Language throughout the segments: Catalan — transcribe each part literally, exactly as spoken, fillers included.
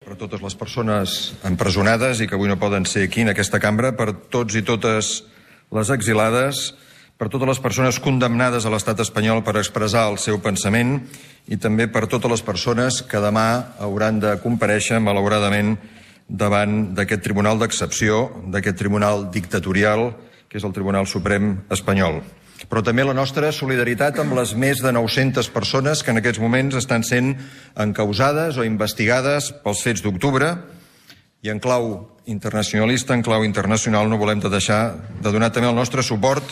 per totes les persones empresonades i que avui no poden ser aquí en aquesta cambra, per tots i totes les exilades, per totes les persones condemnades a l'estat espanyol per expressar el seu pensament i també per totes les persones que demà hauran de comparèixer, malauradament, davant d'aquest tribunal d'excepció, d'aquest tribunal dictatorial, que és el Tribunal Suprem espanyol. Però també la nostra solidaritat amb les més de nou-centes persones que en aquests moments estan sent encausades o investigades pels fets d'octubre, i en clau internacionalista, en clau internacional, no volem de deixar de donar també el nostre suport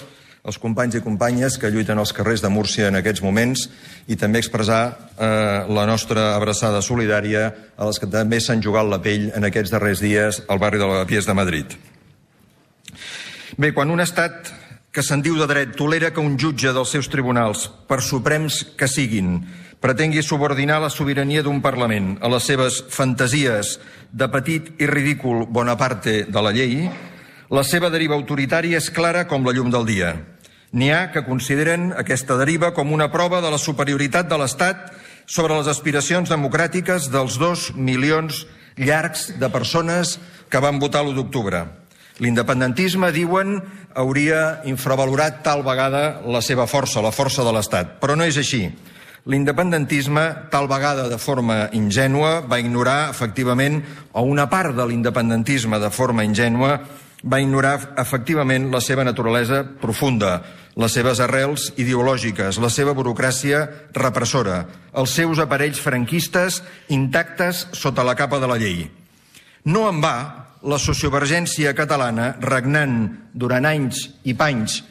als companys i companyes que lluiten als carrers de Múrcia en aquests moments i també expressar eh, la nostra abraçada solidària a les que també s'han jugat la pell en aquests darrers dies al barri de Lavapiés de Madrid. Bé, quan un estat que se'n diu de dret tolera que un jutge dels seus tribunals, per suprems que siguin, pretengui subordinar la sobirania d'un Parlament a les seves fantasies de petit i ridícul Bonaparte de la llei, la seva deriva autoritària és clara com la llum del dia. N'hi ha que consideren aquesta deriva com una prova de la superioritat de l'Estat sobre les aspiracions democràtiques dels dos milions llargs de persones que van votar l'u d'octubre. L'independentisme, diuen, hauria infravalorat tal vegada la seva força, la força de l'Estat. Però no és així. L'independentisme, tal vegada de forma ingènua, va ignorar, efectivament, o una part de l'independentisme de forma ingènua, va ignorar, efectivament, la seva naturalesa profunda, les seves arrels ideològiques, la seva burocràcia repressora, els seus aparells franquistes intactes sota la capa de la llei. No en va, la sociovergència catalana, regnant durant anys i panys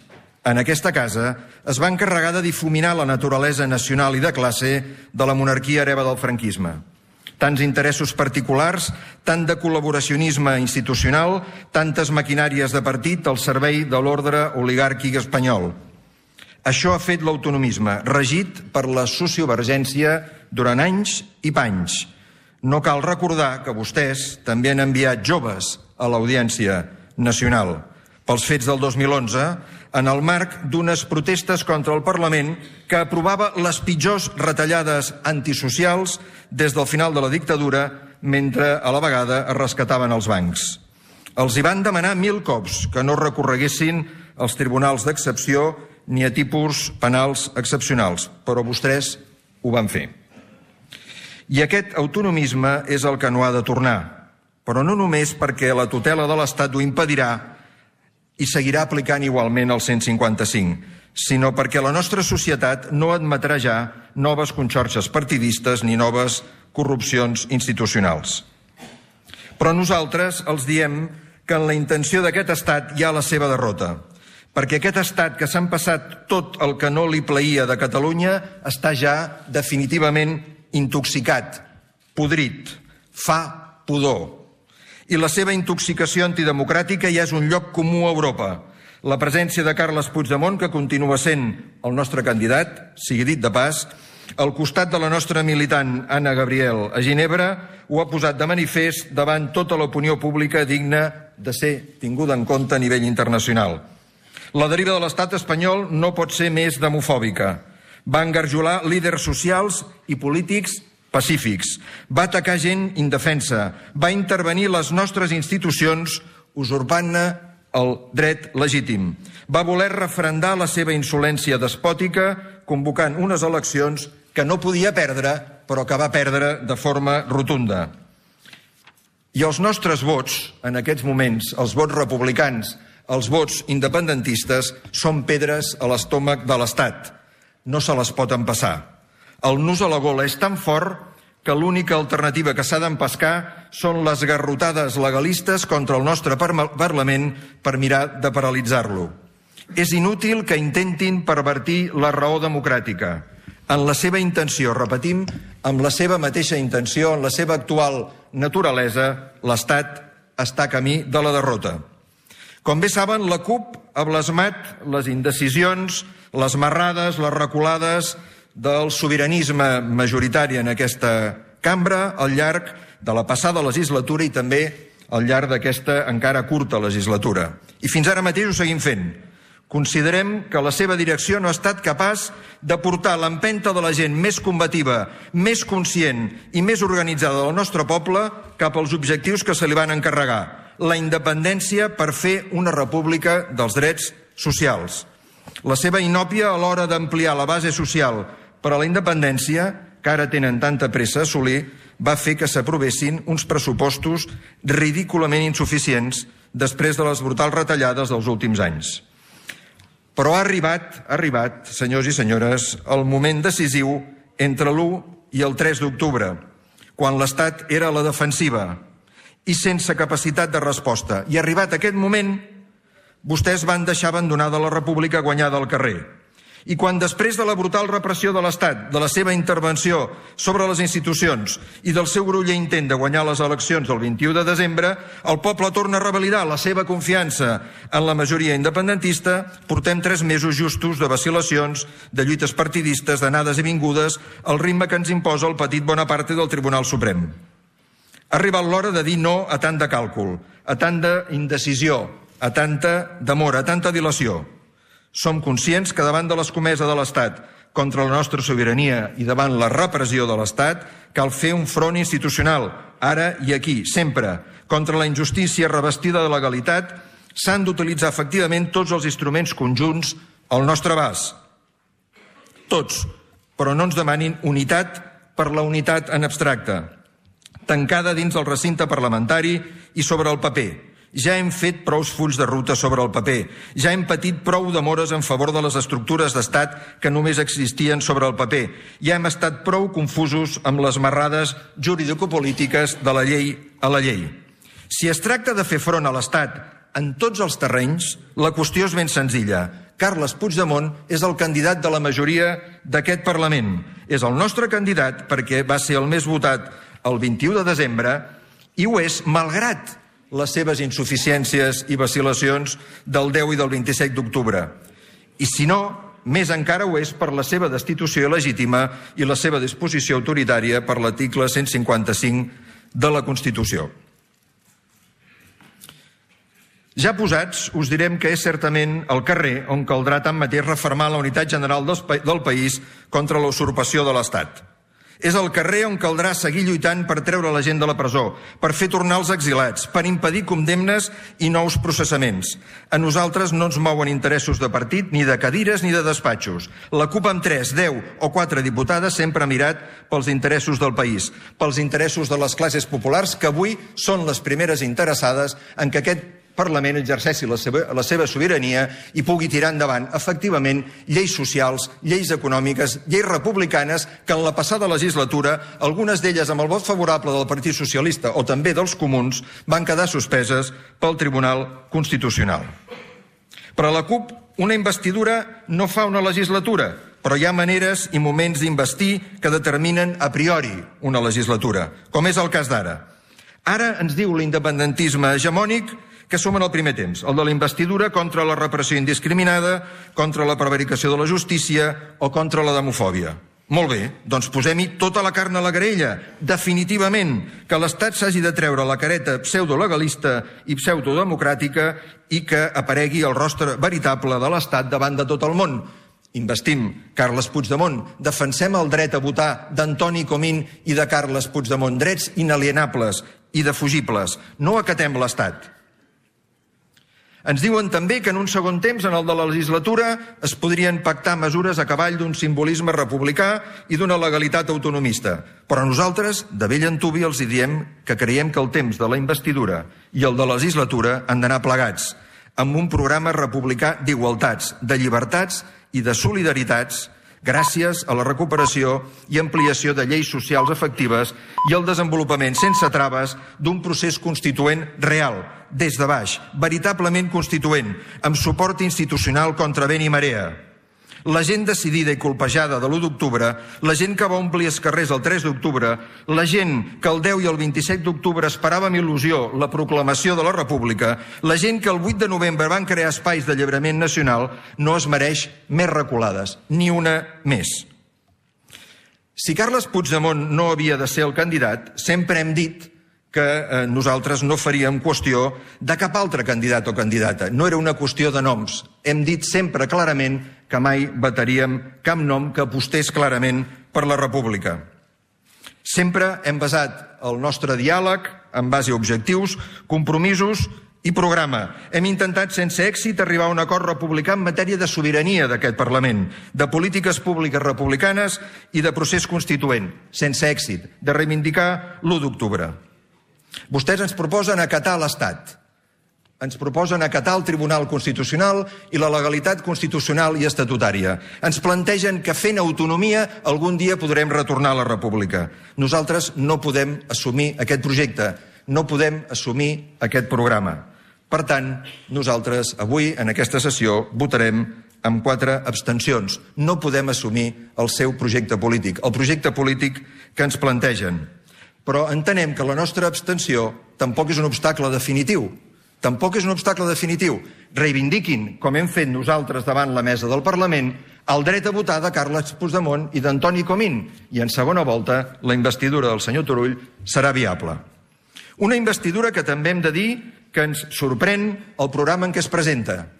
en aquesta casa, es va encarregar de difuminar la naturalesa nacional i de classe de la monarquia hereva del franquisme. Tants interessos particulars, tant de col·laboracionisme institucional, tantes maquinàries de partit al servei de l'ordre oligàrquic espanyol. Això ha fet l'autonomisme, regit per la sociovergència durant anys i panys. No cal recordar que vostès també han enviat joves a l'Audiència Nacional pels fets del dos mil onze en el marc d'unes protestes contra el Parlament que aprovava les pitjors retallades antisocials des del final de la dictadura mentre a la vegada es rescataven els bancs. Els hi van demanar mil cops que no recorreguessin als tribunals d'excepció ni a tipus penals excepcionals, però vostès ho van fer. I aquest autonomisme és el que no ha de tornar, però no només perquè la tutela de l'Estat ho impedirà i seguirà aplicant igualment el cent cinquanta-cinc, sinó perquè la nostra societat no admetrà ja noves conxorxes partidistes ni noves corrupcions institucionals. Però nosaltres els diem que en la intenció d'aquest estat hi ha la seva derrota, perquè aquest estat que s'han passat tot el que no li plaïa de Catalunya està ja definitivament intoxicat, podrit, fa pudor. I la seva intoxicació antidemocràtica ja és un lloc comú a Europa. La presència de Carles Puigdemont, que continua sent el nostre candidat, sigui dit de pas, al costat de la nostra militant Anna Gabriel a Ginebra, ho ha posat de manifest davant tota l'opinió pública digna de ser tinguda en compte a nivell internacional. La deriva de l'estat espanyol no pot ser més demofòbica. Va engarjolar líders socials i polítics pacífics, va atacar gent indefensa, va intervenir les nostres institucions usurpant-ne el dret legítim, va voler referendar la seva insolència despòtica convocant unes eleccions que no podia perdre, però que va perdre de forma rotunda. I els nostres vots, en aquests moments, els vots republicans, els vots independentistes, són pedres a l'estómac de l'Estat. No se les pot empassar. El nus a la gola és tan fort que l'única alternativa que s'ha d'empescar són les garrotades legalistes contra el nostre Parlament per mirar de paralitzar-lo. És inútil que intentin pervertir la raó democràtica. En la seva intenció, repetim, amb la seva mateixa intenció, en la seva actual naturalesa, l'Estat està camí de la derrota. Com bé saben, la CUP ha blasmat les indecisions, les marrades, les reculades del sobiranisme majoritari en aquesta cambra al llarg de la passada legislatura i també al llarg d'aquesta encara curta legislatura. I fins ara mateix ho seguim fent. Considerem que la seva direcció no ha estat capaç de portar l'empenta de la gent més combativa, més conscient i més organitzada del nostre poble cap als objectius que se li van encarregar. La independència per fer una república dels drets socials. La seva inòpia a l'hora d'ampliar la base social per a la independència, que ara tenen tanta pressa a assolir, va fer que s'aprovessin uns pressupostos ridículament insuficients després de les brutals retallades dels últims anys. Però ha arribat, ha arribat, senyors i senyores, el moment decisiu entre l'u i el tres d'octubre, quan l'Estat era a la defensiva i sense capacitat de resposta. I arribat aquest moment, vostès van deixar abandonada la república guanyada al carrer. I quan després de la brutal repressió de l'Estat, de la seva intervenció sobre les institucions i del seu groller intent de guanyar les eleccions del vint-i-u de desembre, el poble torna a revalidar la seva confiança en la majoria independentista, portem tres mesos justos de vacil·lacions, de lluites partidistes, d'anades i vingudes, al ritme que ens imposa el petit Bonaparte del Tribunal Suprem. Ha arribat l'hora de dir no a tant de càlcul, a tanta indecisió, a tanta demora, a tanta dilació. Som conscients que davant de l'escomesa de l'Estat contra la nostra sobirania i davant la repressió de l'Estat cal fer un front institucional, ara i aquí, sempre. Contra la injustícia revestida de legalitat s'han d'utilitzar efectivament tots els instruments conjunts al nostre abast. Tots, però no ens demanin unitat per la unitat en abstracte, tancada dins del recinte parlamentari i sobre el paper. Ja hem fet prou fulls de ruta sobre el paper. Ja hem patit prou demores en favor de les estructures d'estat que només existien sobre el paper. Ja hem estat prou confusos amb les marrades juridicopolítiques de la llei a la llei. Si es tracta de fer front a l'Estat en tots els terrenys, la qüestió és ben senzilla. Carles Puigdemont és el candidat de la majoria d'aquest Parlament. És el nostre candidat perquè va ser el més votat el vint-i-u de desembre i ho és malgrat les seves insuficiències i vacil·lacions del deu i del vint-i-set d'octubre. I si no, més encara ho és per la seva destitució il·legítima i la seva disposició autoritària per l'article cent cinquanta-cinc de la Constitució. Ja posats, us direm que és certament al carrer on caldrà tanmateix refermar la unitat general del país contra la usurpació de l'Estat. És al carrer on caldrà seguir lluitant per treure la gent de la presó, per fer tornar els exilats, per impedir condemnes i nous processaments. A nosaltres no ens mouen interessos de partit, ni de cadires ni de despatxos. La CUP amb tres, deu o quatre diputades sempre ha mirat pels interessos del país, pels interessos de les classes populars que avui són les primeres interessades en que aquest Parlament exerceixi la seva, la seva sobirania i pugui tirar endavant, efectivament, lleis socials, lleis econòmiques, lleis republicanes que en la passada legislatura, algunes d'elles amb el vot favorable del Partit Socialista o també dels comuns, van quedar suspeses pel Tribunal Constitucional. Per a la CUP, una investidura no fa una legislatura, però hi ha maneres i moments d'investir que determinen a priori una legislatura, com és el cas d'ara. Ara ens diu l'independentisme hegemònic que som en el primer temps, el de la investidura contra la repressió indiscriminada, contra la prevaricació de la justícia o contra la demofòbia. Molt bé, doncs posem-hi tota la carn a la graella. Definitivament, que l'Estat s'hagi de treure la careta pseudolegalista i pseudodemocràtica i que aparegui el rostre veritable de l'Estat davant de tot el món. Investim Carles Puigdemont, defensem el dret a votar d'Antoni Comín i de Carles Puigdemont, drets inalienables i defugibles. No acatem l'Estat. Ens diuen també que en un segon temps, en el de la legislatura, es podrien pactar mesures a cavall d'un simbolisme republicà i d'una legalitat autonomista. Però nosaltres, de vell antuvi, els diem que creiem que el temps de la investidura i el de la legislatura han d'anar plegats, amb un programa republicà d'igualtats, de llibertats i de solidaritats, gràcies a la recuperació i ampliació de lleis socials efectives i el desenvolupament sense traves d'un procés constituent real, des de baix, veritablement constituent, amb suport institucional contra vent i marea. La gent decidida i colpejada de l'u d'octubre, la gent que va omplir els carrers el tres d'octubre, la gent que el deu i el vint-i-set d'octubre esperava amb il·lusió la proclamació de la República, la gent que el vuit de novembre van crear espais d'alliberament nacional, no es mereix més reculades, ni una més. Si Carles Puigdemont no havia de ser el candidat, sempre hem dit que nosaltres no faríem qüestió de cap altre candidat o candidata. No era una qüestió de noms. Hem dit sempre clarament que mai vetaríem cap nom que apostés clarament per la República. Sempre hem basat el nostre diàleg en base a objectius, compromisos i programa. Hem intentat sense èxit arribar a un acord republicà en matèria de sobirania d'aquest Parlament, de polítiques públiques republicanes i de procés constituent, sense èxit, de reivindicar l'u d'octubre. Vostès ens proposen acatar l'Estat, ens proposen acatar el Tribunal Constitucional i la legalitat constitucional i estatutària. Ens plantegen que fent autonomia algun dia podrem retornar a la República. Nosaltres no podem assumir aquest projecte, no podem assumir aquest programa. Per tant, nosaltres avui, en aquesta sessió, votarem amb quatre abstencions. No podem assumir el seu projecte polític, el projecte polític que ens plantegen. Però entenem que la nostra abstenció tampoc és un obstacle definitiu. Tampoc és un obstacle definitiu. Reivindiquin, com hem fet nosaltres davant la mesa del Parlament, el dret a votar de Carles Puigdemont i d'Antoni Comín. I en segona volta, la investidura del senyor Turull serà viable. Una investidura que també hem de dir que ens sorprèn el programa en què es presenta.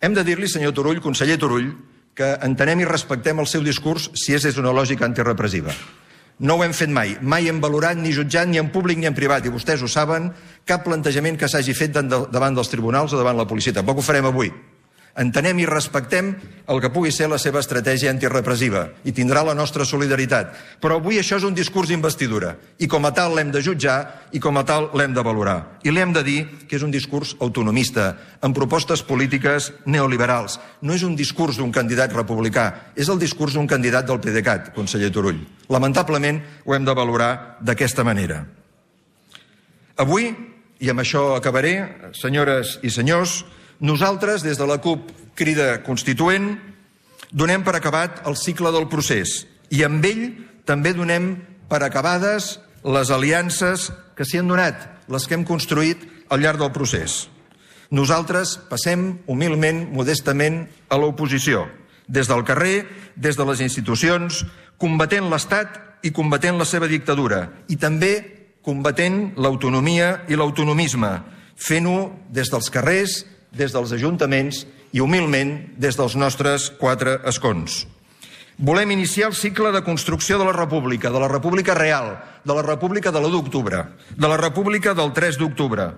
Hem de dir-li, senyor Turull, conseller Turull, que entenem i respectem el seu discurs si és des d'una lògica antirepressiva. No ho hem fet mai. Mai hem valorat ni jutjat ni en públic ni en privat, i vostès ho saben, cap plantejament que s'hagi fet davant dels tribunals o davant la policia. Tampoc ho farem avui. Entenem i respectem el que pugui ser la seva estratègia antirepressiva i tindrà la nostra solidaritat. Però avui això és un discurs d'investidura i com a tal l'hem de jutjar i com a tal l'hem de valorar. I li hem de dir que és un discurs autonomista, amb propostes polítiques neoliberals. No és un discurs d'un candidat republicà, és el discurs d'un candidat del PDeCAT, conseller Turull. Lamentablement ho hem de valorar d'aquesta manera. Avui, i amb això acabaré, senyores i senyors, nosaltres, des de la CUP Crida Constituent, donem per acabat el cicle del procés i amb ell també donem per acabades les aliances que s'hi han donat, les que hem construït al llarg del procés. Nosaltres passem humilment, modestament, a l'oposició, des del carrer, des de les institucions, combatent l'Estat i combatent la seva dictadura i també combatent l'autonomia i l'autonomisme, fent-ho des dels carrers, des dels ajuntaments i, humilment, des dels nostres quatre escons. Volem iniciar el cicle de construcció de la República, de la República real, de la República de l'u d'octubre, de la República del tres d'octubre,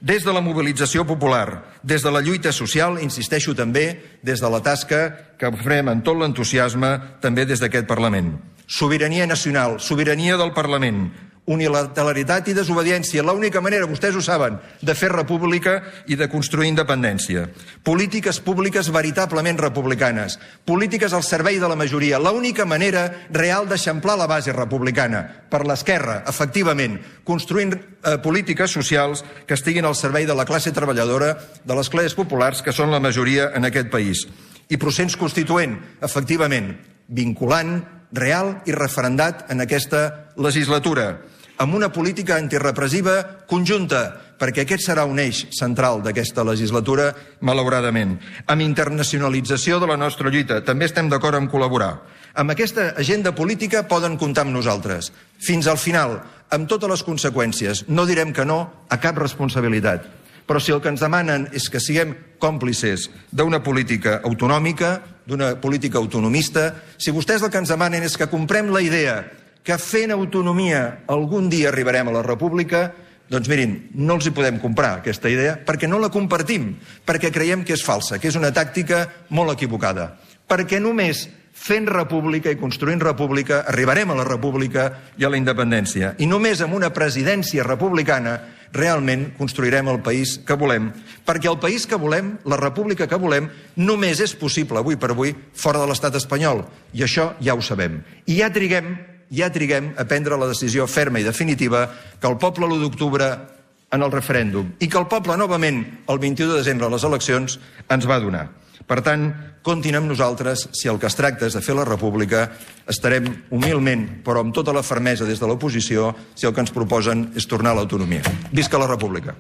des de la mobilització popular, des de la lluita social, insisteixo també, des de la tasca que farem amb tot l'entusiasme també des d'aquest Parlament. Sobirania nacional, sobirania del Parlament, unilateralitat i desobediència, l'única manera, vostès ho saben, de fer república i de construir independència. Polítiques públiques veritablement republicanes, polítiques al servei de la majoria, l'única manera real d'eixamplar la base republicana, per l'esquerra, efectivament, construint eh, polítiques socials que estiguin al servei de la classe treballadora, de les classes populars, que són la majoria en aquest país. I procés constituent, efectivament, vinculant, real i referendat en aquesta legislatura, amb una política antirepressiva conjunta, perquè aquest serà un eix central d'aquesta legislatura, malauradament. Amb internacionalització de la nostra lluita, també estem d'acord en col·laborar. Amb aquesta agenda política poden comptar amb nosaltres. Fins al final, amb totes les conseqüències, no direm que no a cap responsabilitat. Però si el que ens demanen és que siguem còmplices d'una política autonòmica, d'una política autonomista, si vostès el que ens demanen és que comprem la idea que fent autonomia algun dia arribarem a la República, doncs mirin, no els hi podem comprar aquesta idea perquè no la compartim, perquè creiem que és falsa, que és una tàctica molt equivocada. Perquè només fent república i construint república arribarem a la república i a la independència. I només amb una presidència republicana realment construirem el país que volem. Perquè el país que volem, la república que volem, només és possible avui per avui fora de l'estat espanyol. I això ja ho sabem. I ja triguem ja triguem a prendre la decisió ferma i definitiva que el poble l'u d'octubre en el referèndum i que el poble novament el vint-i-u de desembre a les eleccions ens va donar. Per tant, comptin amb nosaltres, si el que es tracta és de fer la república, estarem humilment, però amb tota la fermesa des de l'oposició, si el que ens proposen és tornar a l'autonomia. Visca la república!